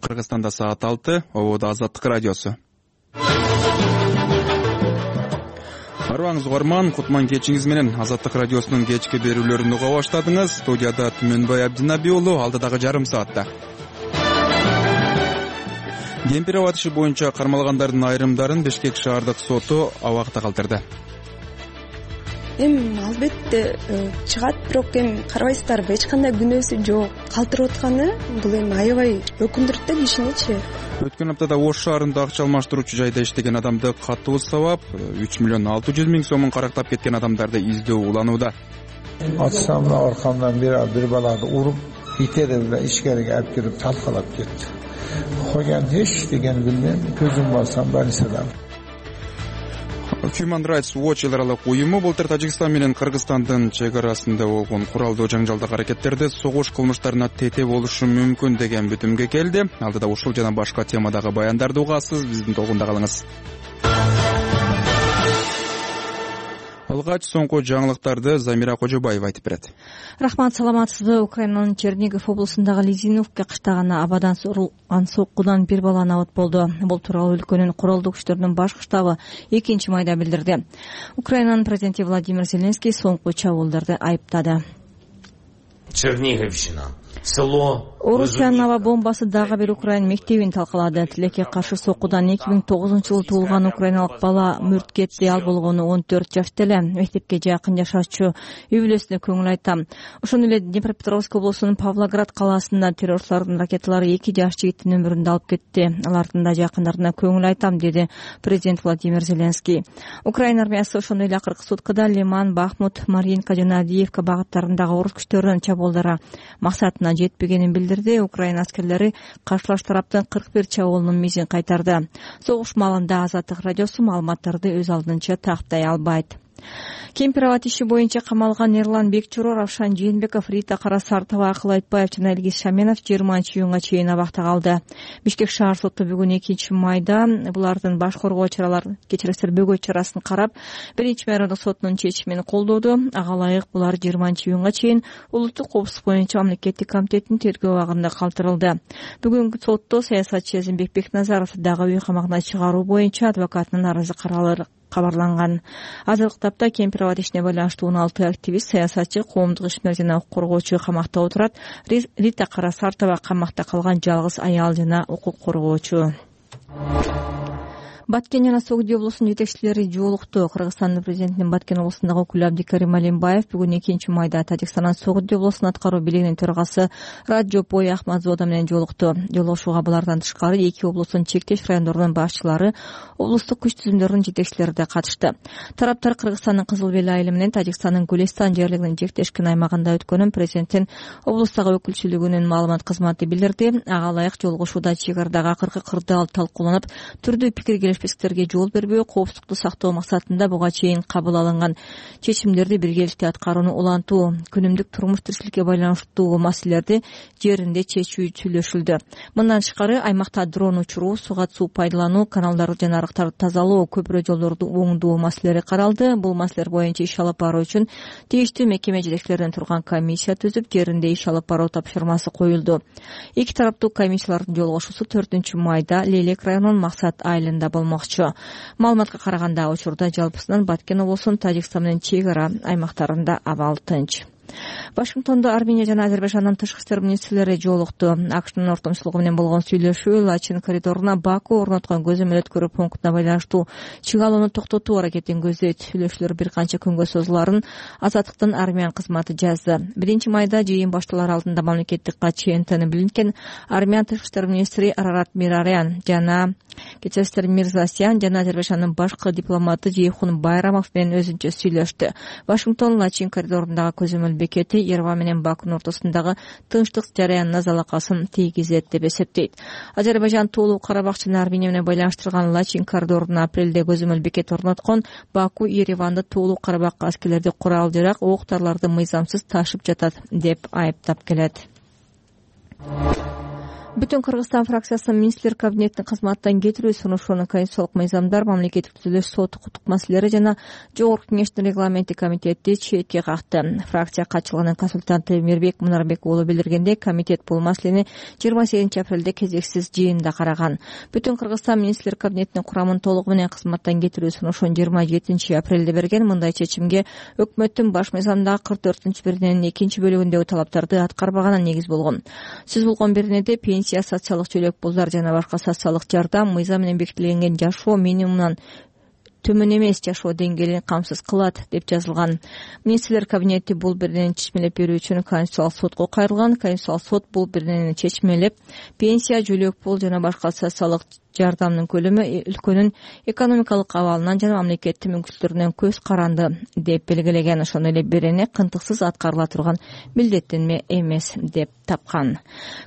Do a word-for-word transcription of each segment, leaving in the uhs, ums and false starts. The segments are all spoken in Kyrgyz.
Кыргызстанда саат алты, ободо Азаттык радиосу. Арыбаңыз угарман, кутман кечиңиз менен Азаттык радиосунун кечки берүүлөрүн уга баштадыңыз. Студияда Түмөнбай Абдинаби уулу, алдыдагы жарым саатта. Кемпирова иши боюнча кармалгандардын айрымдарын Бишкек шаардык соту абакта калтырды. Эми албетте чыгат, бирок эми карабайсыздарбы, эч кандай күнөөсү жок. Калтырып атканы бул эми аябай өкүндүрөт да кишиничи. Өткөн аптада Ош шаарында акча алмаштыруучу жайда иштеген адамды катуу сабап, үч миллион алты жүз миң сомун карактап кеткен адамдарды издөө уланууда. Атсамда аркамдан бир бир баланы уруп, итерип эле ишкерге алып кирип талкалап кетти. Койган эч деген билбейм, көзүм барсам больницадан. Human Rights Watch эл аралык уюму былтыр Тажикстан менен Кыргызстандын чек арасында болгон куралдуу жаңжалдык аракеттерде согуш кылмыштарына тете болушу мүмкүн деген бүтүмгө келди. Алдыда ушул жана башка темадагы баяндарды угасыз, биздин толкунда калыңыз. Алгач соңку жаңылыктарды Замира Кожобаева айтып берет. Рахмат, саламатсызбы? Украинанын Чернигов облусундагы Лизиновка кыштагына абадан сурулган соккудан бир бала абат болду. Бул тууралуу өлкөнүн куралдуу күчтөрүнүн баш штабы экинчи майда билдирди. Украинанын президенти Владимир Зеленский соңку чабуулдарды айыптады. Черниговщина. Село Орусиянын аба бомбасы дагы бир Украин мектебин талкалады. Тилекке каршы соккудан эки миң тогузунчу жылы туулган украиналык бала мүрт кетти. Ал болгону он төрт жашта эле. Мектепке жакын жашачу үй бүлөсүнө көңүл айтам. Ошондой эле Днепропетровск облусунун Павлоград калаасында террорчулардын ракеталары эки жаш жигиттин өмүрүн да алып кетти. Алардын да жакындарына көңүл айтам, деди президент Владимир Зеленский. Украина армиясы ошондой эле акыркы суткада Лиман, Бахмут, Маринка жана Авдеевка багыттарындагы орус күчтөрүнүн чабуулдары максатына жетпегенин билдирди. Украина аскерлери каршылаш тараптын кырк бир чабуулунун мизин кайтарды. Согуш маалында Азаттык радиосу маалыматтарды өз алдынча тактай албайт. Кемпирова иши боюнча камалган Эрлан Бекчуро, Равшан Жээнбеков, Рита Карасартова, Акыл Айтбаев жана Илгиз Шаменов жыйырманчы июнга чейин абакта калды. Бишкек шаар соту бүгүн экинчи майда булардын баш коргоо чаралары кечиресиз бөгөт чарасын карап, биринчи майрандык сотунун чечимин колдоду. Ага ылайык булар жыйырманчы июнга чейин улуттук коопсуздук боюнча мамлекеттик комитеттин тергөө абагында калтырылды. Бүгүнкү сотто саясатчы Эзимбек Бекназаров дагы үй камагына чыгаруу боюнча адвокатынын арызы каралыр кабарланган. Азыркы тапта Кемпирова ишине байланыштуу он алты активист, саясатчы, коомдук ишмер жана укук коргоочу камакта отурат. Рита Карасартова камакта калган жалгыз аял жана укук коргоочу. Баткен жана Согди облусунун жетекчилери жолукту. Кыргызстандын президентинин Баткен облусундагы өкүлү Абдикарим Алимбаев бүгүн экинчи майда Тажикстандын Согди облусунун аткаруу бийлигинин төрагасы Раджопой Ахмадзода менен жолукту. Жолугушууга булардан тышкары эки облустун чектеш райондорунун башчылары, облустук күч түзүмдөрүнүн жетекчилери да катышты. Тараптар Кыргызстандын Кызыл Бел айылы менен Тажикстандын Гулестан жерлигинин жектешкен аймагында өткөнүн президенттин облустагы өкүлчүлүгүнүн маалымат кызматы билдирди. Ага ылайык жолугушууда чек арадагы акыркы кырдаал талкууланып, түрдүү пикир пикирге жол бербөө, коопсуздукту сактоо максатында буга чейин кабыл алынган чечимдерди биргеликте аткарууну улантуу, күнүмдүк турмуш тиричиликке байланыштуу маселелерди жеринде чечүү сүйлөшүлдү. Мындан тышкары аймакта дрон учуруу, суга суу пайдалануу, каналдарды жана арыктарды тазалоо, көпүрө жолдорду оңдоо маселелери каралды. Бул маселелер боюнча иш алып баруу үчүн тийиштүү мекеме жетекчилеринен турган комиссия түзүп, жеринде иш алып баруу тапшырмасы коюлду. Эки тараптуу комиссиялардын жолугушуусу төртүнчү майда Лейлек районунун Максат айылында болмокчу. Маалыматка караганда учурда жалпысынан Баткен облусунун Тажикстан менен чек ара аймактарында абал тынч. Вашингтондо Армения жана Азербайжандын тышкы иштер министрлери жолукту. АКШнын ортомчулугу менен болгон сүйлөшүү Лачин коридоруна Баку орноткон көзөмөл өткөрүү пунктуна байланыштуу чыгалууну токтотуу аракетин көздөйт. Сүйлөшүүлөр бир канча күнгө созуларын Азаттыктын армиян кызматы жазды. Биринчи майда жыйын башталары алдында мамлекеттик катчы Энтони Блинкен, армян тышкы иштер министри Арарат Мирарян жана Кечестер Мирзасян жана Азербайжандын башкы дипломаты Жейхун Байрамов менен өзүнчө сүйлөштү. Вашингтон Лачин коридорундагы көзөмөл бекети Ереван менен Бакунун ортосундагы тынчтык жараянына залакасын тийгизет деп эсептейт. Азербайжан Тоолуу Карабак жана Армения менен байланыштырган Лачин коридорунда апрелде көзөмөл бекет орноткон. Баку Ереванды Тоолуу Карабакка аскерлерди курал жарак, ок-дарларды мыйзамсыз ташып жатат деп айыптап келет. Бүтүн Кыргызстан фракциясынын министрлер кабинетинин кызматтан кетирүү сунушуну Конституциялык мыйзамдар, мамлекеттик түзүлүш, сот укуктук маселелери жана Жогорку Кеңештин регламенти комитети четке какты. Фракция катчылыгынын консультанты Мирбек Мунарбек уулу билдиргендей, комитет бул маселени жыйырма сегизинчи апрелде кезексиз жыйында караган. Бүтүн Кыргызстан министрлер кабинетинин курамын толугу менен кызматтан кетирүү сунушун жыйырма жетинчи апрелде берген. Мындай чечимге өкмөттүн баш мыйзамдагы кырк төртүнчү берененин экинчи бөлүгүндөгү талаптарды аткарбаганы негиз болгон. Сөз болгон беренеде пенсия, социалдык чөлөк пулдар жана башка социалдык жардам мыйзам менен бекитилген жашоо минимумунан төмөн эмес жашоо деңгээлин камсыз кылат деп жазылган. Министрлер кабинети бул беренени чечмелеп берүү үчүн Конституциялык сотко кайрылган. Конституциялык сот бул беренени чечмелеп пенсия, жөлөк пул жана башка социалдык жардамдын көлөмү өлкөнүн экономикалык абалынан жана мамлекеттин мүмкүнчүлүктөрүнөн көз каранды деп белгилеген. Ошондой эле берене кынтыксыз аткарыла турган милдеттенме эмес деп тапкан.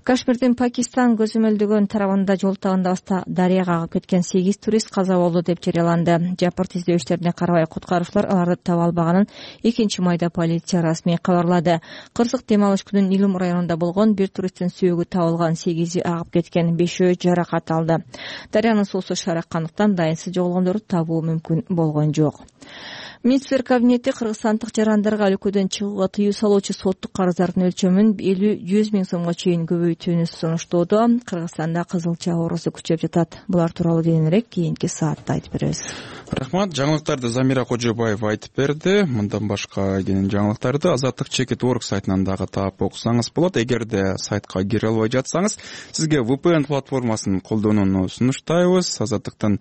Кашмирдин Пакистан көзөмөлдөгөн тарабында жол тагында дарыяга агып кеткен сегиз турист каза болду деп жарыяланды. Жапырт издөөчтөрүнө карабай куткаруучулар аларды таба албаганын экинчи майда полиция расмий кабарлады. Кырсык дем алыш күнүн Илим районунда болгон. Бир туристтин сүйөгү табылган, сегизи агып кеткен, бешөө жаракат алды. Дарыянын суусу шараккандыктан дайынсыз жоголгондорду табуу мүмкүн болгон жок. Министрлер кабинети кыргызстандык жарандарга өлкөдөн чыгууга тыюу салуучу соттук карыздардын өлчөмүн элүү жүз миң сомго чейин көбөйтүүнү сунуштоодо. Кыргызстанда кызылча оорусу күчөп жатат. Булар тууралуу кийинирээк кийинки саатта айтып беребиз. Рахмат. Жаңылыктарды Замира Кожобаева айтып берди. Мындан башка кенен жаңылыктарды Азаттык чекит точка орг сайтынан дагы таап окусаңыз болот. Эгерде сайтка кире албай жатсаңыз, сизге ви пи эн платформасын колдонууну сунуштайбыз. Азаттыктын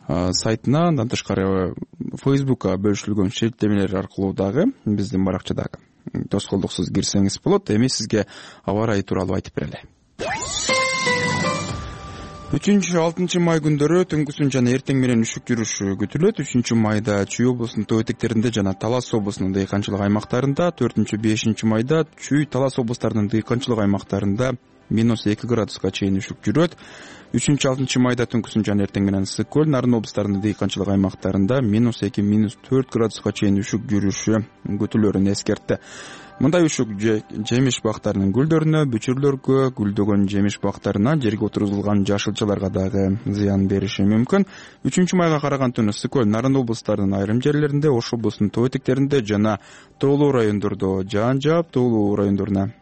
сайтына, андан тышкары Facebook'a бөлүшүлгөн шерттемелер аркылуу дагы биздин баракчадагы тоскоолдуксуз кирсеңиз болот. Эми сизге аба ырайы тууралуу айтып берели. үчүнчү алтынчы май күндөрү түнкүсүн жана эртең менен үшүк жүрүшү күтүлөт. үчүнчү майда Чүй облусунун тоо этектеринде жана Талас облусунун дыйканчылык аймактарында, төртүнчү бешинчи майда Чүй, Талас облустарынын дыйканчылык аймактарында минус эки градуска чейин үшүк жүрөт. үчүнчү алтынчы майда түнкүсүн жана эртең менен Ысык көл, Нарын облустарынын дыйканчылык аймактарында минус эки минус төрт градуска чейин үшүк жүрүшү күтүлөрүн эскертти. Мындай үшүк жемиш бактарынын гүлдөрүнө, бүчүрлөргө, гүлдөгөн жемиш бактарына, жерге отургузулган жашылчаларга дагы зыян бериши мүмкүн. үчүнчү майга караган түнү Ысык көл, Нарын облустарынын айрым жерлеринде, Ош облусунун тоо этектеринде жана тоолуу райондордо жаан жаап, тоолуу райондоруна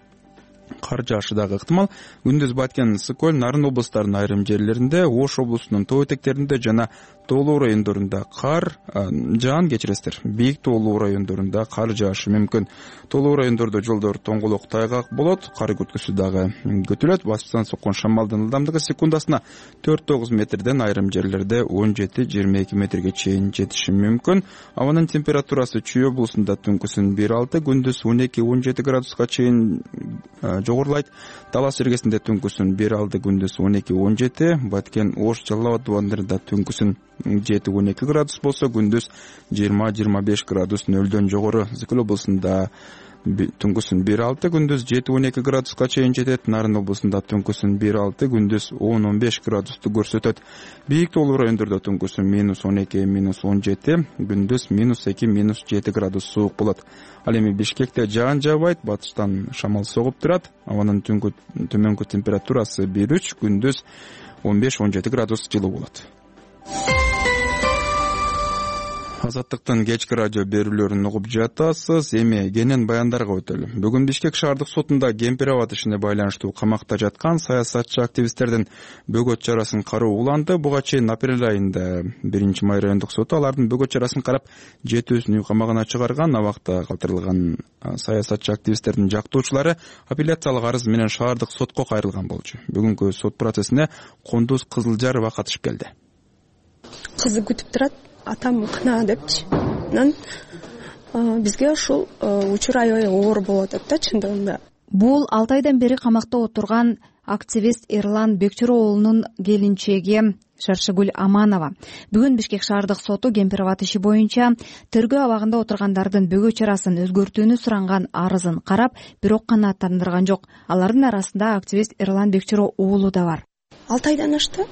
кар жаашы дагы ыктымал. Күндүз Баткен, Ысык көл, Нарын облустарынын айрым жерлеринде, Ош облусунун тоо этектеринде жана тоолуу райондорунда кар жаан кечиресиздер. Бийик тоолуу райондорунда кар жаашы мүмкүн. Тоолуу райондордо жолдор тоңголок, тайгак болот. Кар күткүсү дагы күтүлөт. Башынан соккон шамалдын ылдамдыгы секундасына төрт тогуз метрден, айрым жерлерде он жети жыйырма эки метрге чейин жетиши мүмкүн. Абанын температурасы Чүй облусунда түнкүсүн бир алты, күндүз он эки он жети градуска чейин жогорулайт. Талас жергесинде түнкүсүн бир алты, күндүз он эки он жети. Баткен, Ош, Жалал Абад тубандарында түнкүсүн жети он эки градус болсо, күндүз жыйырма жыйырма беш градус нөлдөн жогору. Ысык көл облусунда түнкүсүн бир алты, күндүз жети он эки градуска чейин жетет. Нарын облусунда түнкүсүн бир алты, күндүз он он беш градусту көрсөтөт. Бийик тоолуу райондордо түнкүсүн минус он эки минус он жети, күндүз минус эки минус жети градус суук болот. Ал эми Бишкекте жаан жаабайт, батыштан шамал согуп турат. Абанын түнгү төмөнкү температурасы бир үч, күндүз он беш он жети градус жылуу болот. Азаттыктын кечки радио берүүлөрүн угуп жатасыз. Эми кенен баяндарга өтөлү. Бүгүн Бишкек шаардык сотунда Кемпир-Аба ишине байланыштуу камакта жаткан саясатчы активисттердин бөгөт чарасын кароо уланды. Буга чейин апрель айында биринчи май райондук соту алардын бөгөт чарасын карап жетөөсүн үй камагына чыгарган. Абакта калтырылган саясатчы активисттердин жактоочулары апелляциялык арыз менен шаардык сотко кайрылган болчу. Бүгүнкү сот процессине Кондуз Кызылжарова катышып келди. Кызы күтүп турат, атам кына депчи. Анан бизге ушул учур аябай оор болуп атат да чындыгында. Бул алты айдан бери камакта отурган активист Эрлан Бекчуро уулунун келинчеги Шаршыгүл Аманова. Бүгүн Бишкек шаардык соту Кемпир-Аба иши боюнча тергөө абагында отургандардын бөгөт чарасын өзгөртүүнү суранган арызын карап, бирок канааттандырган жок. Алардын арасында активист Эрлан Бекчуро уулу да бар. алты айдан ашты.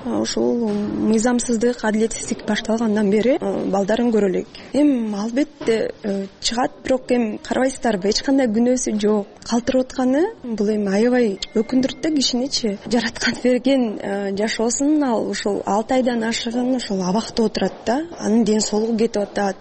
ушул мыйзамсыздык, адилетсиздик башталгандан бери балдарын көрө элек. Эми албетте чыгат, бирок эми карабайсыздарбы, эч кандай күнөөсү жок. Калтырып атканы бул эми аябай өкүндүрөт да кишиничи. Жараткан берген жашоосун ал ушул алты айдан ашыгын ошол абакта отурат да. Анын ден соолугу кетип атат.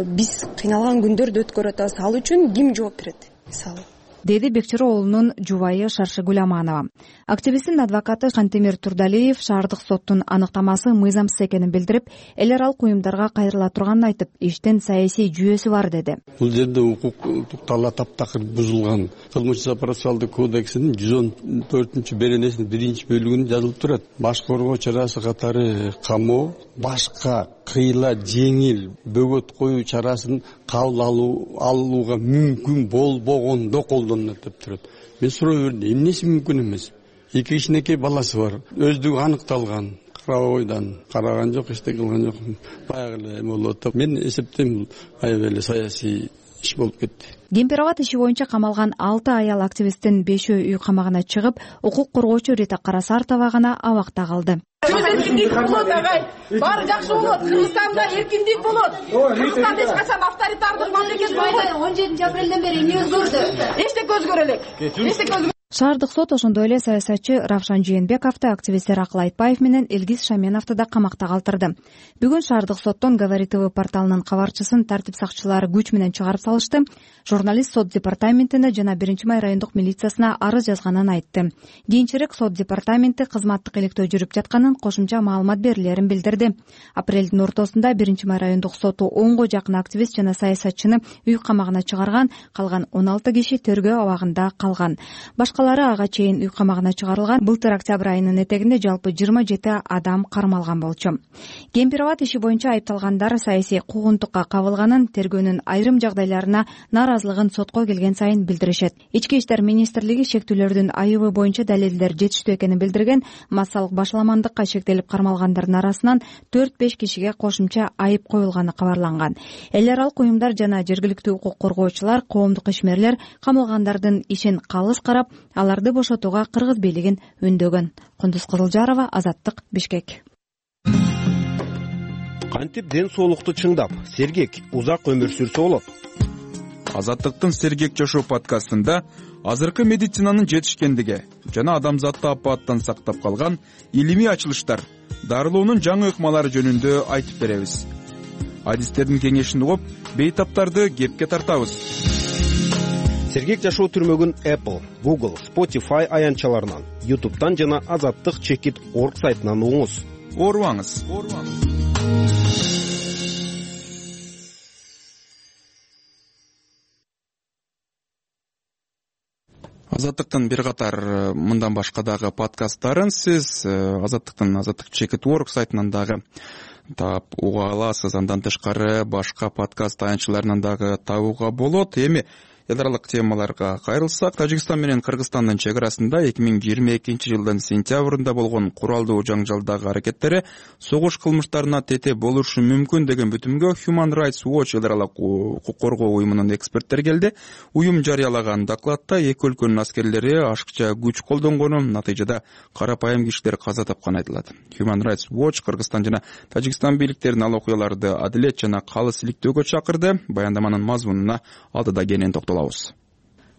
Биз кыйналган күндөрдү өткөрүп атабыз. Ал үчүн ким жооп берет мисалы? Деди Бекчиро уулунун жубайы Шаршыгүл Аманова. Активисттин адвокаты Шантемир Турдалиев шаардык соттун аныктамасы мыйзамсыз экенин билдирип, эл аралык уюмдарга кайрыла турганын айтып, иштин саясий жүйөсү бар деди. Бул жерде укук талап таптакыр бузулган. Кылмыш процессуалдык кодексинин жүз он төртүнчү беренесинин биринчи бөлүгүндө жазылып турат. Баш коргоо чарасы катары камоо, башка кыйла жеңил бөгөт коюу чарасын кабыл алуу алууга мүмкүн болбогондо колдонулат деп турат. Мен суроо бердим, эмнеси мүмкүн эмес? Эки кичинекей баласы бар, өздүгү аныкталган, карабойдан караган жок, эчтеке кылган жок. Баягы эле болуп атат. Мен эсептейм, бул аябай эле саясий иш болуп кетти. Кемпироват иши боюнча камалган алты аял активисттин бешөө үй камагына чыгып, укук коргоочу Рита Карасартова гана абакта калды. Сөз эркиндик болот, агай. Баары жакшы болот. Кыргызстанда эркиндик болот. Кыргызстан эч качан авторитардык мамлекет болбойт. он жетинчи апрелден бери эмне өзгөрдү? Эчтеке өзгөрө элек. Эчтеке өзгөрө. Шаардык сот ошондой эле саясатчы Равшан Жээнбековду, активисттер Акыл Айтбаев менен Элгиз Шаменовду да камакта калтырды. Бүгүн шаардык соттон Говори ТВ порталынын кабарчысын тартип сакчылары күч менен чыгарып салышты. Журналист сот департаментине жана биринчи май райондук милициясына арыз жазганын айтты. Кийинчерээк сот департаменти кызматтык иликтөө жүрүп жатканын, кошумча маалымат берилерин билдирди. Апрелдин ортосунда биринчи май райондук соту онго жакын активист жана саясатчыны үй камагына чыгарган, калган он алты киши тергөө абагында калган. Башкалары ага чейин үй камагына чыгарылган. Былтыр октябрь айынын этегинде жалпы жыйырма жети адам кармалган болчу. Кемпироват иши боюнча айыпталгандар саясий куугунтукка кабылганын, тергөөнүн айрым жагдайларына наразылыгын сотко келген сайын билдиришет. Ички иштер министрлиги шектүүлөрдүн айыбы боюнча далилдер жетиштүү экенин билдирген. Массалык башаламандыкка шектелип кармалгандардын арасынан төрт беш кишиге кошумча айып коюлганы кабарланган. Эл аралык уюмдар жана жергиликтүү укук коргоочулар, коомдук ишмерлер камалгандардын ишин калыс карап, аларды бошотууга кыргыз бийлигин үндөгөн. Кундуз Кызылжарова, Азаттык, Бишкек. Кантип ден соолукту чыңдап, сергек, узак өмүр сүрсө болот? Азаттыктын Сергек жашоо подкастында азыркы медицинанын жетишкендиги жана адамзатты апааттан сактап калган илимий ачылыштар, дарылоонун жаңы ыкмалары жөнүндө айтып беребиз. Адистердин кеңешин угуп, бейтаптарды кепке тартабыз. Сергек жашоо түрмөгүн Apple, Google, Spotify аянтчаларынан, YouTube'дан жана азаттык чекит точка орг сайтынан угуңуз. Оорубаңыз. Азаттыктын бир катар мындан башка дагы подкасттарын сиз Азаттыктын азаттык чекит точка орг сайтынан дагы таап уга аласыз. Андан тышкары башка подкаст аянтчаларынан дагы табууга болот. Эми эл аралык темаларга кайрылсак, Тажикстан менен Кыргызстандын чек арасында эки миң жыйырма экинчи жылдын сентябрында болгон куралдуу жаңжалдагы аракеттери согуш кылмыштарына тете болушу мүмкүн деген бүтүмгө Human Rights Watch эл аралык укук коргоо уюмунун эксперттери келди. Уюм жарыялаган докладта эки өлкөнүн аскерлери ашыкча күч колдонгону, натыйжада карапайым кишилер каза тапканы айтылат. Human Rights Watch Кыргызстан жана Тажикстан бийликтерин ал окуяларды адилет жана калыс иликтөөгө чакырды. Баяндаманын мазмунуна алдыда кенен токтолобуз.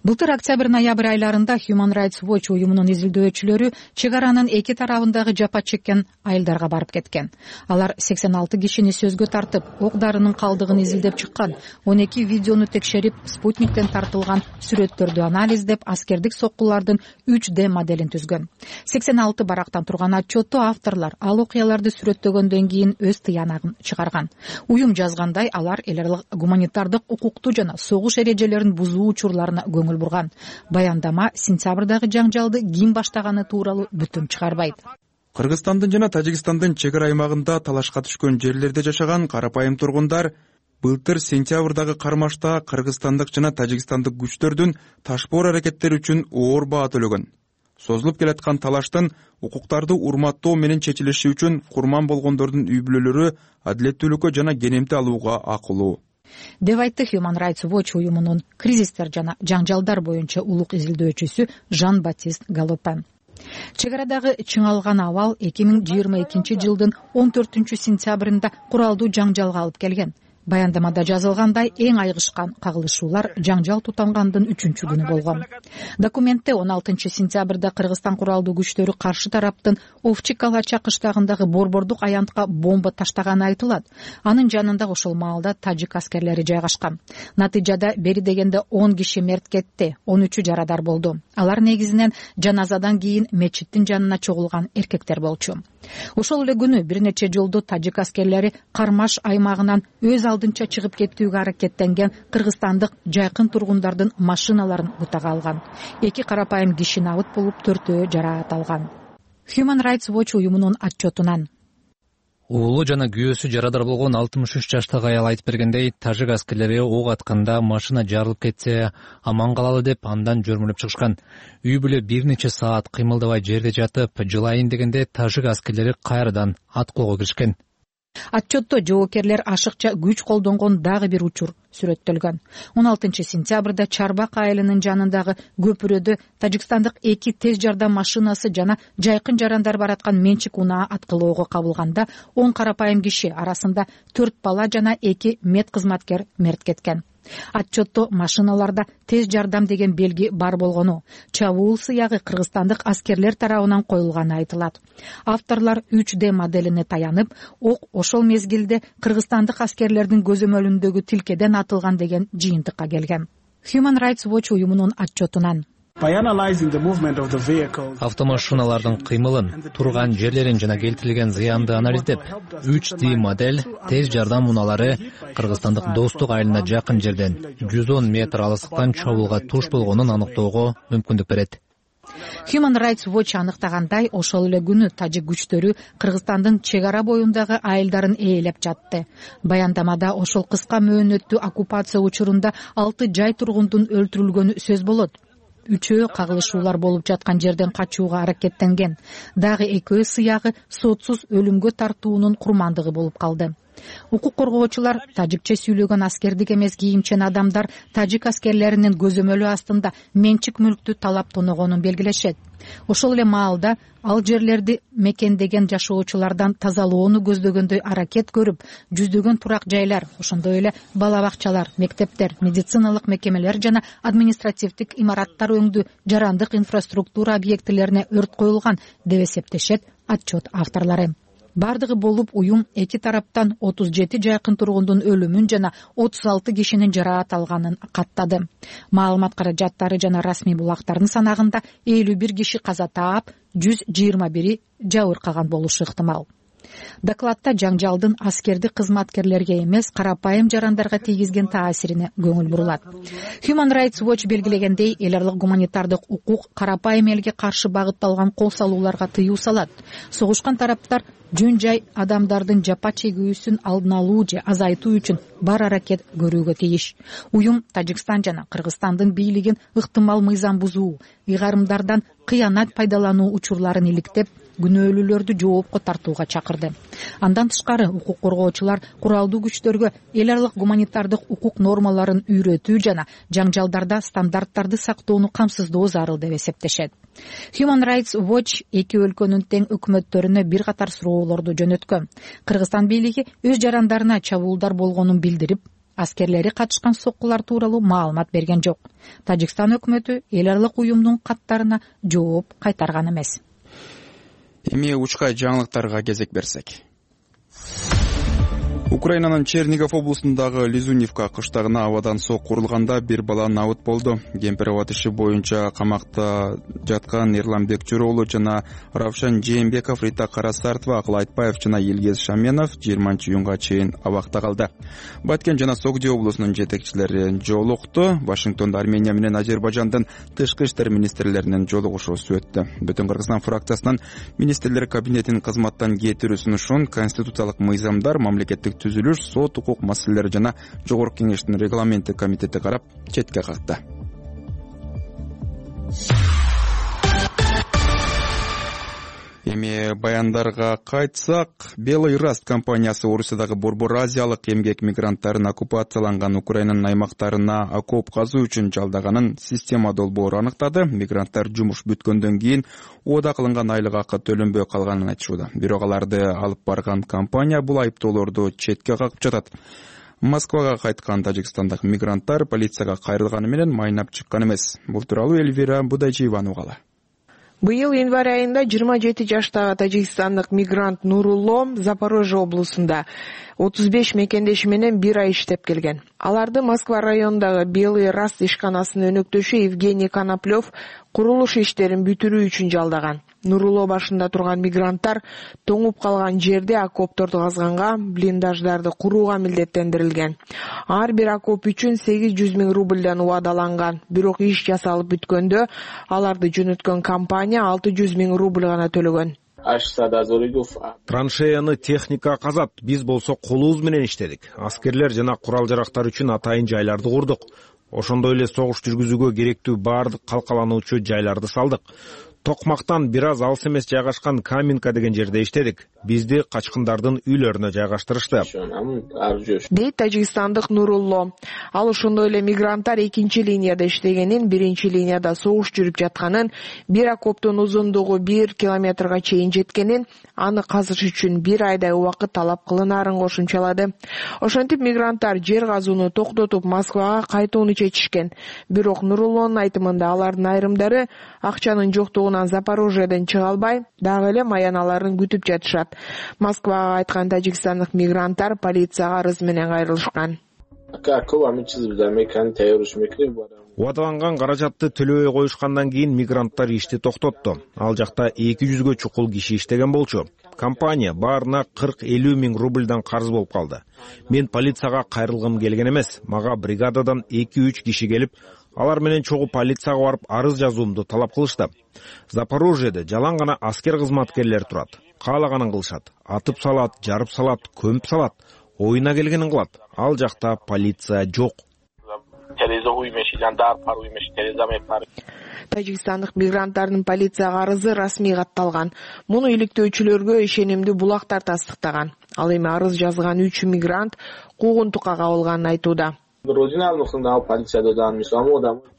Былтыр октябрь-ноябрь айларында Human Rights Watch уюмунун изилдөөчүлөрү чек аранын эки тарабындагы жапа чеккен айылдарга барып кеткен. Алар сексен алты кишини сөзгө тартып, ок дарынын калдыгын изилдеп чыккан, он эки видеону текшерип, спутниктен тартылган сүрөттөрдү анализдеп, аскердик соккулардын үч дэ моделин түзгөн. сексен алты барактан турган отчетту авторлор ал окуяларды сүрөттөгөндөн кийин өз тыянагын чыгарган. Уюм жазгандай, алар эл аралык гуманитардык укукту жана согуш эрежелерин бузуу учурларына көңүл бурган. Баяндама сентябрдагы жаңжалды ким баштаганы тууралуу бүтүм чыгарбайт. Кыргызстандын жана Тажикстандын чек ара аймагында талашка түшкөн жерлерде жашаган карапайым тургундар былтыр сентябрдагы кармашта кыргызстандык жана тажикстандык күчтөрдүн ташпоор аракеттери үчүн оор баа төлөгөн. Созулуп келаткан талаштын укуктарды урматтоо менен чечилиши үчүн курман болгондордун үй бүлөлөрү адилеттүүлүккө жана кенемти алууга акылуу деп айтты Human Rights Watch уюмунун кризистер жана жаңжалдар боюнча улук изилдөөчүсү Жан-Батист Галопен. чек арадагы чыңалган абал эки миң жыйырма экинчи жылдын он төртүнчү сентябрында куралдуу жаңжалга алып келген. Баяндамада жазылгандай, эң айгышкан кагылышуулар жаңжал тутангандын үчүнчү күнү болгон. Документте он алтынчы сентябрда Кыргызстан куралдуу күчтөрү каршы тараптын Овчик Алача кыштагындагы борбордук аянтка бомба таштаганы айтылат. Анын жанында ошол маалда тажик аскерлери жайгашкан. Натыйжада бери дегенде он киши мерт кетти, он үчү жарадар болду. Алар негизинен жаназадан кийин мечиттин жанына чогулган эркектер болчу. Ошол эле күнү бир нече жолду тажик аскерлери Кармаш аймагынан өз алдынча чыгып кетүүгө аракеттенген кыргызстандык жайкын тургундардын машиналарын бутага алган. Эки карапайым киши набыт болуп, төртөө жараат алган. Human Rights Watch уюмунун отчетунан уулу жана күйөөсү жарадар болгон алтымыш үч жаштагы аял айтып бергендей, тажик аскерлери ок атканда машина жарылып кетсе аман калалы деп андан жөрмөлөп чыгышкан. Үй бүлө бир нече саат кыймылдабай жерде жатып, жылайын дегенде тажик аскерлери кайрадан аткылоого киришкен. Отчетто жоокерлер ашыкча күч колдонгон дагы бир учур сүрөттөлгөн. он алтынчы сентябрда Чарбак айылынын жанындагы көпүрөдө тажикстандык эки тез жардам машинасы жана жайкын жарандар бараткан менчик унаа аткылоого кабылганда он карапайым киши арасында төрт бала жана эки мед кызматкер мерт кеткен. Отчетто машиналарда тез жардам деген белги бар болгону, чабуул сыягы кыргызстандык аскерлер тарабынан коюлганы айтылат. Авторлор үч дэ моделине таянып, ок ошол мезгилде кыргызстандык аскерлердин көзөмөлүндөгү тилкеден атылган деген жыйынтыкка келген. Human Rights Watch уюмунун отчетунан автомашиналардын кыймылын, турган жерлерин жана келтирилген зыянды анализдеп, үч дэ модель тез жардам унаалары кыргызстандык Достук айылына жакын жерден жүз он метр алыстыктан чабуулга туш болгонун аныктоого мүмкүндүк берет. Human Rights Watch аныктагандай, ошол эле күнү тажик күчтөрү Кыргызстандын чек ара боюндагы айылдарын ээлеп жатты. Баяндамада ошол кыска мөөнөттүү оккупация учурунда алты жай тургундун өлтүрүлгөнү сөз болот. Үчөө кагылышуулар болуп жаткан жерден качууга аракеттенген. Дагы экөө сыягы сотсуз өлүмгө тартуунун курмандыгы болуп калды. Укук коргоочулар тажикче сүйлөгөн аскердик эмес кийимчен адамдар тажик аскерлеринин көзөмөлү астында менчик мүлктү талап тоногонун белгилешет. Ошол эле маалда ал жерлерди мекендеген жашоочулардан тазалоону көздөгөндөй аракет көрүп, жүздөгөн турак жайлар, ошондой эле бала бакчалар, мектептер, медициналык мекемелер жана административдик имараттар өңдүү жарандык инфраструктура объектилерине өрт коюлган деп эсептешет отчет авторлору. Бардыгы болуп уюм эки тараптан отуз жети жайкын тургундун өлүмүн жана отуз алты кишинин жараат алганын каттады. Маалымат каражаттары жана расмий булактардын санагында элүү бир киши каза таап, жүз жыйырма бири жабыркаган болушу ыктымал. Докладта жаңжалдын аскердик кызматкерлерге эмес, карапайым жарандарга тийгизген таасирине көңүл бурулат. Human Rights Watch белгилегендей, эл аралык гуманитардык укук карапайым элге каршы багытталган кол салууларга тыюу салат. Согушкан тараптар жөн жай адамдардын жапа чегүүсүн алдын алуу же азайтуу үчүн бар аракет көрүүгө тийиш. Уюм Тажикстан жана Кыргызстандын бийлигин ыктымал мыйзам бузуу, ыйгарымдардан кыянат пайдалануу учурларын иликтеп, күнөөлүүлөрдү жоопко тартууга чакырды. Андан тышкары укук коргоочулар куралдуу күчтөргө эл аралык гуманитардык укук нормаларын үйрөтүү жана жаңжалдарда стандарттарды сактоону камсыздоо зарыл деп эсептешет. Human Rights Watch эки өлкөнүн тең өкмөттөрүнө бир катар суроолорду жөнөткөн. Кыргызстан бийлиги өз жарандарына чабуулдар болгонун билдирип, аскерлери катышкан соккулар тууралуу маалымат берген жок. Тажикстан өкмөтү эл аралык уюмдун каттарына жооп кайтарган эмес. Эми учка жаңылыктарга кезек берсек. Украинанын Чернигов облусундагы Лизунивка кыштагына абадан сок курулганда бир бала набыт болду. Кемпир-абад иши боюнча камакта жаткан Эрлан Бекчүрөөлу жана Равшан Жээнбеков, Рита Карасартова, Акыл Айтбаев жана Илгез Шаменов жыйырманчы июнга чейин абакта калды. Баткен жана Согди облусунун жетекчилери жолукту. Вашингтондо Армения менен Азербайжандын тышкы иштер министрлеринин жолугушуусу өттү. Бүтүн Кыргызстан фракциясынан министрлер кабинетинин кызматтан кетирүү сунушун конституциялык мыйзамдар, мамлекеттик түзүлүш, сот, укук маселелери жана жогорку кеңештин регламенттик комитети карап четке какты. Эми баяндарга кайтсак, Белый Раст компаниясы Орусиядагы Борбор Азиялык эмгек мигранттарын оккупацияланган Украинанын аймактарына окоп казуу үчүн жалдаганын система долбоору аныктады. Мигранттар жумуш бүткөндөн кийин оода кылынган айлык акы төлөнбөй калганын айтышууда. Бирок аларды алып барган компания бул айыптоолорду четке кагып жатат. Москвага кайткан тажикстандык мигранттар полицияга кайрылганы менен майнап чыккан эмес. Бул тууралуу Эльвира Будайчиеванын угалы. Быйыл январь айында жыйырма жети жаштагы тажикстандык мигрант Нурулло Запорожье облусунда отуз беш мекендеши менен бир ай иштеп келген. Аларды Москва районундагы Белый Раст ишканасынын өнөктөшү Евгений Коноплев курулуш иштерин бүтүрүү үчүн жалдаган. Нурулло башында турган мигранттар тоңуп калган жерде окопторду казганга, блиндаждарды курууга милдеттендирилген. Ар бир окоп үчүн сегиз жүз миң рубльдан убадаланган. Бирок иш жасалып бүткөндө аларды жөнөткөн компания алты жүз миң рубль гана төлөгөн. Траншеяны техника казат, биз болсо колубуз менен иштедик. Аскерлер жана курал жарактар үчүн атайын жайларды курдук. Ошондой эле согуш жүргүзүүгө керектүү баардык калкалануучу жайларды салдык. Токмактан бир аз алыс эмес жайгашкан Каменка деген жерде иштедик. Бизди качкындардын үйлөрүнө жайгаштырышты. Дейт тажикстандык Нурулло. Ал ошондой эле мигранттар экинчи линияда иштегенин, биринчи линияда согуш жүрүп жатканын, бир окоптун узундугу бир километрга чейин жеткенин, аны казыш үчүн бир айдай убакыт талап кылынаарын кошумчалады. Ошентип мигранттар жер казууну токтотуп Москвага кайтууну чечишкен. Бирок Нуруллонун айтымында алардын айрымдары акчанын жоктугунан Запорожьеден чыга албай, дагы эле маяналарын күтүп жатышат. Москвага кайткан тажикстандык мигранттар полицияга арыз менен кайрылышкан. Убадаланган каражатты төлөбөй коюшкандан кийин мигранттар ишти токтотту. Ал жакта эки жүзгө чукул киши иштеген болчу. Компания баарына кырк элүү миң рубльдан карыз болуп калды. Мен полицияга кайрылгым келген эмес. Мага бригададан эки үч киши келип, алар менен чогуу полицияга барып арыз жазуумду талап кылышты. Запорожьеде жалаң гана аскер кызматкерлер турат. Каалаганын кылышат. Атып салат, жарып салат, көмүп салат. Оюна келгенин кылат. Ал жакта полиция жок. Тажикстандык мигранттардын полицияга арызы расмий катталган. Муну иликтөөчүлөргө ишенимдүү булактар тастыктаган. Ал эми арыз жазган үч мигрант куугунтукка кабылганын айтууда.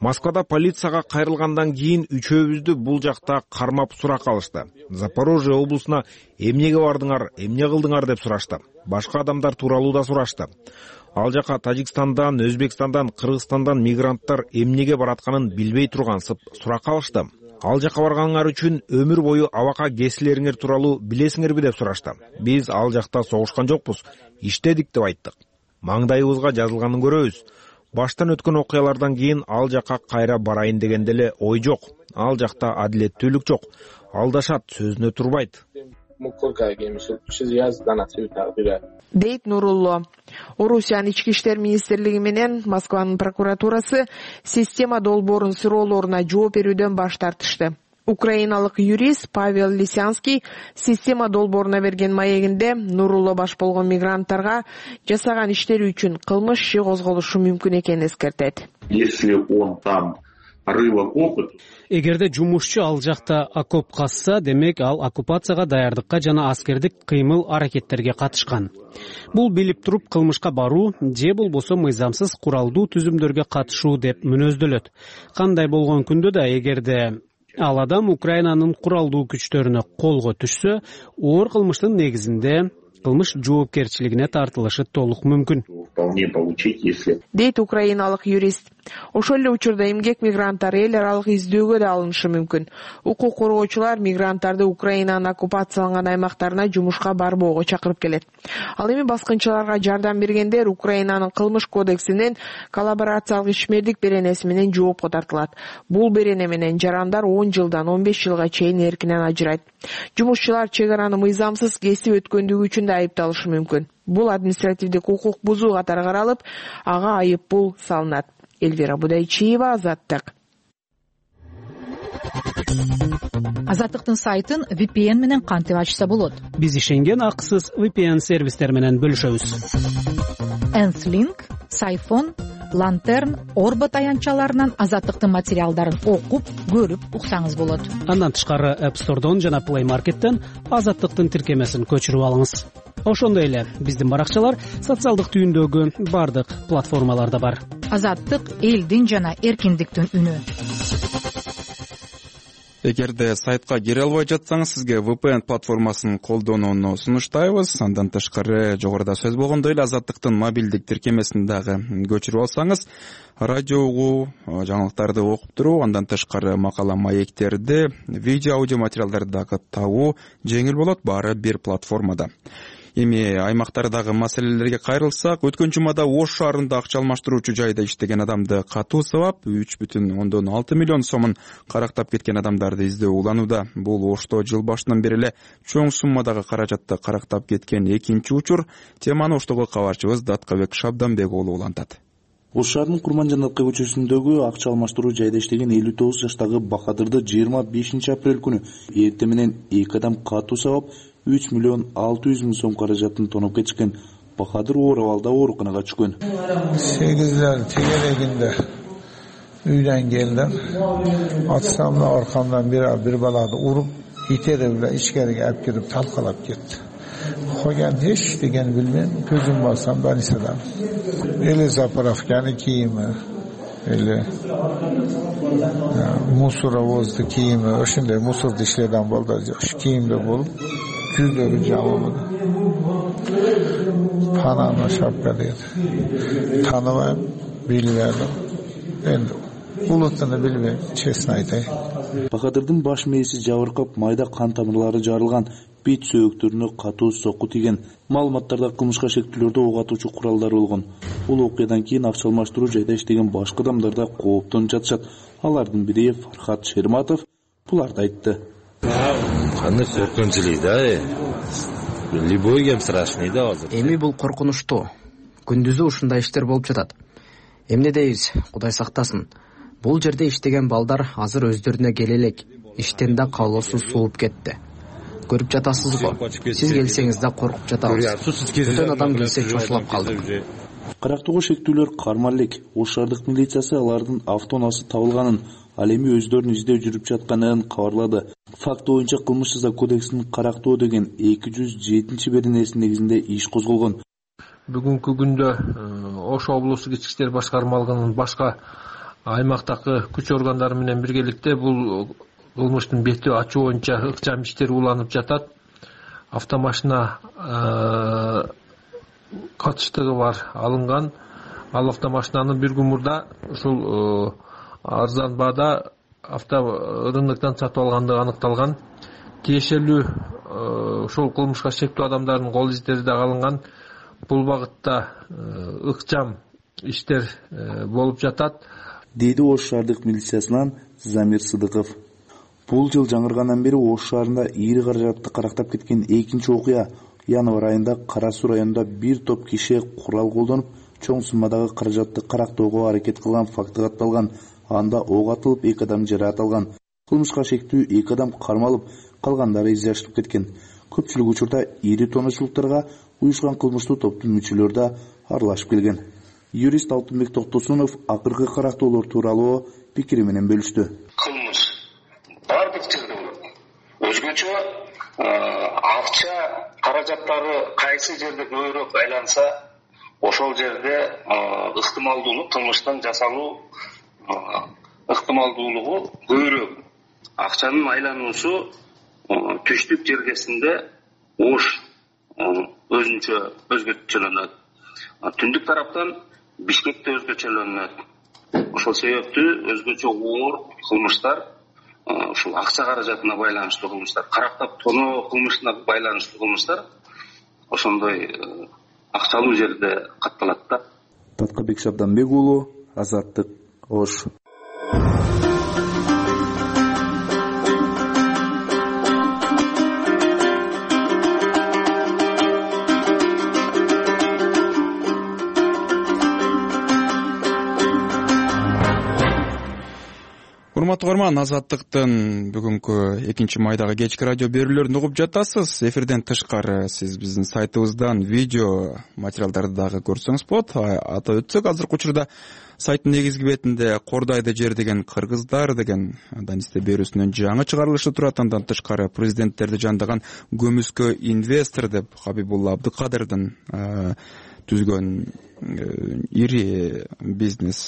Москвада полицияга кайрылгандан кийин үчөөбүздү бул жакта кармап сурак алышты. Запорожье облусуна эмнеге бардыңар, эмне кылдыңар деп сурашты. Башка адамдар тууралуу да сурашты. Ал жака Тажикстандан, Өзбекстандан, Кыргызстандан мигранттар эмнеге баратканын билбей тургансып сурак алышты. Ал жака барганыңар үчүн өмүр бою абакка кесилериңер тууралуу билесиңерби деп сурашты. Биз ал жакта согушкан жокпуз, иштедик деп айттык. Маңдайыбызга жазылганын көрөбүз. Баштан өткөн окуялардан кийин ал жака кайра барайын дегенде эле ой жок. Ал жакта адилеттүүлүк жок. Алдашат, сөзүнө турбайт. Дейт Нурулло. Орусиянын ички иштер министрлиги менен Москванын прокуратурасы система долбоорун суроолоруна жооп берүүдөн баш тартышты. Украиналык юрист Павел Лисянский система долбооруна берген маегинде Нурулло баш болгон мигранттарга жасаган иштери үчүн кылмыш иши козголушу мүмкүн экенин эскертет. Если он там рыло опыт. Эгерде жумушчу ал жакта окоп казса, демек ал оккупацияга даярдыкка жана аскердик кыймыл аракеттерге катышкан. Бул билип туруп кылмышка баруу же болбосо мыйзамсыз куралдуу түзүмдөргө катышуу деп мүнөздөлөт. Кандай болгон күндө да эгерде ал адам Украинанын куралдуу күчтөрүнө колго түшсө, оор кылмыштын негизинде кылмыш жоопкерчилигине тартылышы толук мүмкүн. Дейт украиналык юрист. Ошол эле учурда эмгек мигранттар эл аралык издөөгө да алынышы мүмкүн. Укук коргоочулар мигранттарды Украинанын оккупацияланган аймактарына жумушка барбоого чакырып келет. Ал эми баскынчыларга жардам бергендер Украинанын кылмыш кодексинин коллаборациялык ишмердик беренеси менен жоопко тартылат. Бул берене менен жарандар он жылдан он беш жылга чейин эркинен ажырайт. Жумушчулар чек араны мыйзамсыз кесип өткөндүгү үчүн да айыпталышы мүмкүн. Бул административдик укук бузуу катары каралып, ага айып пул салынат. Эльвира Будайчиева, Азаттык. Азаттыктын сайтын ви пи эн менен кантип ачса болот? Биз ишенген акысыз ви пи эн сервистер менен бөлүшөбүз. Энслинк, Сайфон, Лантерн, Орбо таянчаларынан Азаттыктын материалдарын окуп, көрүп уксаңыз болот. Андан тышкары App Store'дон жана Play Market'тен Азаттыктын тиркемесин көчүрүп алыңыз. Ошондой эле биздин баракчалар социалдык түйүндөгү бардык платформаларда бар. Азаттык — элдин жана эркиндиктин үнү. Эгерде сайтка кире албай жатсаңыз, сизге ви пи эн платформасын колдонууну сунуштайбыз. Андан тышкары жогоруда сөз болгондой эле Азаттыктын мобилдик тиркемесин дагы көчүрүп алсаңыз, радио угуу, жаңылыктарды окуп туруу, андан тышкары макала маектерди, видео аудио материалдарды дагы табуу жеңил болот, баары бир платформада. Эми аймактардагы маселелерге кайрылсак, өткөн жумада Ош шаарында акча алмаштыруучу жайда иштеген адамды катуу сабап үч бүтүн ондон алты миллион сомун карактап кеткен адамдарды издөө уланууда. Бул Ошто жыл башынан бери эле чоң суммадагы каражатты карактап кеткен экинчи учур. Теманы Оштогу кабарчыбыз Даткабек Шабданбек уулу улантат. Ош шаарынын Курманжанатка көчөсүндөгү акча алмаштыруу жайда иштеген элүү тогуз жаштагы Бахадырды жыйырма бешинчи апрель күнү эртең менен эки адам катуу сабап үч миллион алты жүз миң сом каражатын тоноп кетишкен. Бахадыр оор абалда ооруканага түшкөн. сегиздер тегерегинде үйдөн келдим. Атсамда аркамдан бир бир баланы уруп, итерип эле ичкериге алып кирип талкалап кетти. Койган эч деген билбейм, көзүм барсам больницада. Эле заправканы кийими, эле мусоровозду кийими, ошондой мусорду ишлеген балдар жок. Кийимде болуп, жүздөгү жамамын. Панама шапка дейт. Таныбайм, билбедим. Энди улутуну билбейм, честно айтайын. Бахадырдын баш мээси жабыркап, майда кан тамырлары жарылган, бет сөөктөрүнө катуу сокку тийген. Маалыматтарда кылмышка шектүүлөрдө ок атуучу куралдар болгон. Бул окуядан кийин акча алмаштыруу жайда иштеген башка адамдар да кооптонуп жатышат. Алардын бири Фархат Шерматов буларды айтты. Кандай коркунучулуу да, любой кем страшный да азыр. Эми бул коркунучтуу. Күндүзү ушундай иштер болуп жатат. Эмне дейбиз, Кудай сактасын. Бул жерде иштеген балдар азыр өздөрүнө келе элек. Иштен да калоосу сууп кетти. Көрүп жатасыз го. Сиз келсеңиз да коркуп жатабыз. Бүтөн адам келсе чочулап калдык. Карактоого шектүүлөр кармал элек. Ош шаардык милициясы алардын автоунаасы табылганын, ал эми өздөрүн издөө жүрүп жатканын кабарлады. Факт боюнча кылмыш жаза кодексинин Карактоо деген эки жүз жетинчи беренеси негизинде иш козголгон. Бүгүнкү күндө Ош облустук ички иштер башкармалыгынын башка аймактагы күч органдары менен биргеликте бул кылмыштын бети ачуу боюнча ыкчам иштер уланып жатат. Автомашина катыштыгы бар алынган. Ал автомашинаны бир күн мурда ушул арзан баада авторыноктон сатып алгандыгы аныкталган. Тиешелүү ушул кылмышка шектүү адамдардын кол издери да алынган. Бул багытта ыкчам иштер болуп жатат, дейди Ош шаардык милициясынан Замир Сыдыков. Бул жыл жаңыргандан бери Ош шаарында ийри каражатты карактап кеткен экинчи окуя. Январь айында Кара Суу районунда бир топ киши курал колдонуп, чоң суммадагы каражатты карактоого аракет кылган факты катталган. Анда ок атылып, эки адам жараат алган. Кылмышка шектүү эки адам кармалып, калгандары изяштып кеткен. Көпчүлүк учурда ийри тоночулуктарга уюшкан кылмыштуу топтун мүчөлөрү да аралашып келген. Юрист Алтынбек Токтосунов акыркы карактоолор тууралуу пикири менен бөлүштү. Кылмыш бардык жерде болот. Өзгөчө акча каражаттары кайсы жерде көбүрөөк айланса, ошол жерде ыктымалдуулук кылмыштын жасалуу ыктымалдуулугу көбүрөөк. Акчанын айлануусу түштүк жергесинде Ош өзүнчө өзгөчөлөнөт. Түндүк тараптан Бишкекте өзгөчөлөнөт. Ошол себептүү өзгөчө оор кылмыштар, ушул акча каражатына байланыштуу кылмыштар, карактап тоноо кылмышына байланыштуу кылмыштар ошондой акчалуу жерде катталат да. Даткабек Шабданбек уулу, Азаттык, Ош. урматтуу угарман, Азаттыктын бүгүнкү экинчи майдагы кечки радио берүүлөрүн угуп жатасыз. Эфирден тышкары сиз биздин сайтыбыздан видео материалдарды дагы көрсөңүз болот. Атап өтсөк, азыркы учурда сайттын негизги бетинде Кордайды жер деген кыргыздар деген Данисте берүүсүнөн жаңы чыгарылышы турат. Андан тышкары президенттерди жандаган көмүскө инвестор деп Хабибулла Абдыкадырдын түзгөн ири бизнес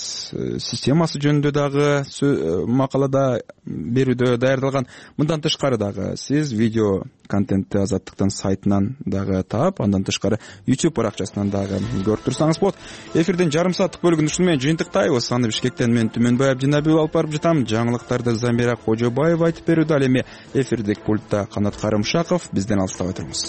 системасы жөнүндө дагы макалада берүүдө даярдалган. Мындан тышкары дагы сиз видео контентти Азаттыктын сайтынан дагы таап, андан тышкары YouTube баракчасынан дагы көрүп турсаңыз болот. Эфирдин жарым сааттык бөлүгүн ушуну менен жыйынтыктайбыз. Аны Бишкектен мен Түмөнбай Абдинабиев алып барып жатам. Жаңылыктарды Замира Кожобаева айтып берүүдө. Ал эми эфирдик пультта Канат Карымшаков. Бизден алыстабай туруңуз.